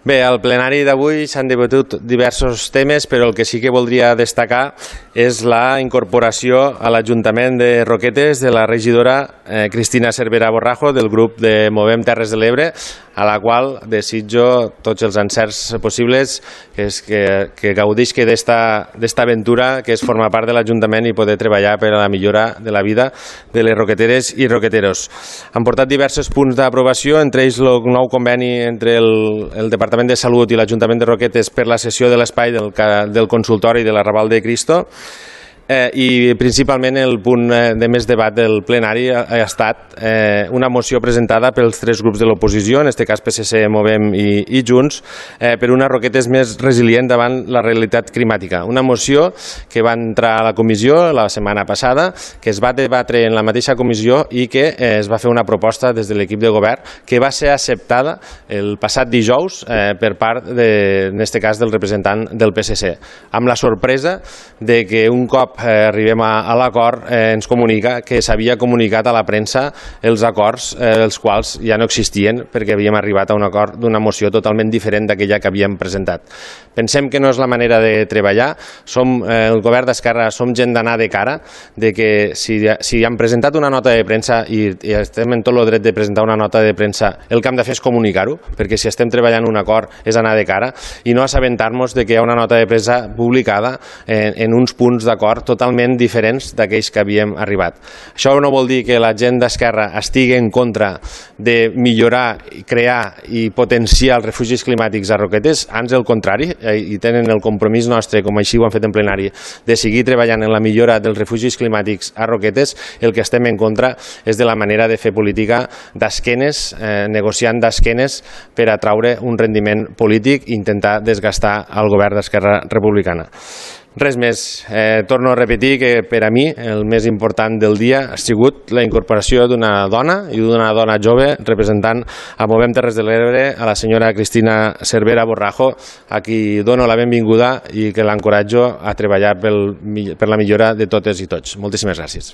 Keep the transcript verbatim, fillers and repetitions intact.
Bé, al plenari d'avui s'han debatut diversos temes, però el que sí que voldria destacar és la incorporació a l'Ajuntament de Roquetes de la regidora eh, Cristina Cervera Borrajo del grup de Movem Terres de l'Ebre, a la qual desitjo tots els encerts possibles, que, és que, que gaudisca d'esta aventura que és formar part de l'Ajuntament i poder treballar per a la millora de la vida de les roqueteres i roqueteros. Han portat diversos punts d'aprovació, entre ells el nou conveni entre el, el Departament de Salut i l'Ajuntament de Roquetes per la cessió de l'espai del, del consultori de l'Arrabal de Cristo. Eh, i principalment el punt de més debat del plenari ha, ha estat eh, una moció presentada pels tres grups de l'oposició, en aquest cas P S C, Movem i, i Junts, eh, per una Roquetes més resilient davant la realitat climàtica. Una moció que va entrar a la comissió la setmana passada, que es va debatre en la mateixa comissió i que eh, es va fer una proposta des de l'equip de govern que va ser acceptada el passat dijous eh, per part, de, en aquest cas, del representant del P S C, amb la sorpresa de que un cop Eh, arribem a, a l'acord, eh, ens comunica que s'havia comunicat a la premsa els acords, eh, els quals ja no existien perquè havíem arribat a un acord d'una moció totalment diferent d'aquella que havíem presentat. Pensem que no és la manera de treballar. Som, eh, el govern d'Esquerra som gent d'anar de cara, de que si, si hem presentat una nota de premsa i, i estem en tot el dret de presentar una nota de premsa, el que hem de fer és comunicar-ho, perquè si estem treballant un acord és anar de cara i no assabentar-nos de que hi ha una nota de premsa publicada en, en uns punts d'acord totalment diferents d'aquells que havíem arribat. Això no vol dir que la gent d'Esquerra estigui en contra de millorar, crear i potenciar els refugis climàtics a Roquetes, ans el contrari, i tenen el compromís nostre, com així ho han fet en plenari, de seguir treballant en la millora dels refugis climàtics a Roquetes. El que estem en contra és de la manera de fer política d'esquenes, eh, negociant d'esquenes per atraure un rendiment polític i intentar desgastar el govern d'Esquerra Republicana. Res més. Eh, torno a repetir que per a mi el més important del dia ha sigut la incorporació d'una dona i d'una dona jove representant a Movem Terres de l'Ebre, a la senyora Cristina Cervera Borrajo, a qui dono la benvinguda i que l'encoratjo a treballar pel, per la millora de totes i tots. Moltíssimes gràcies.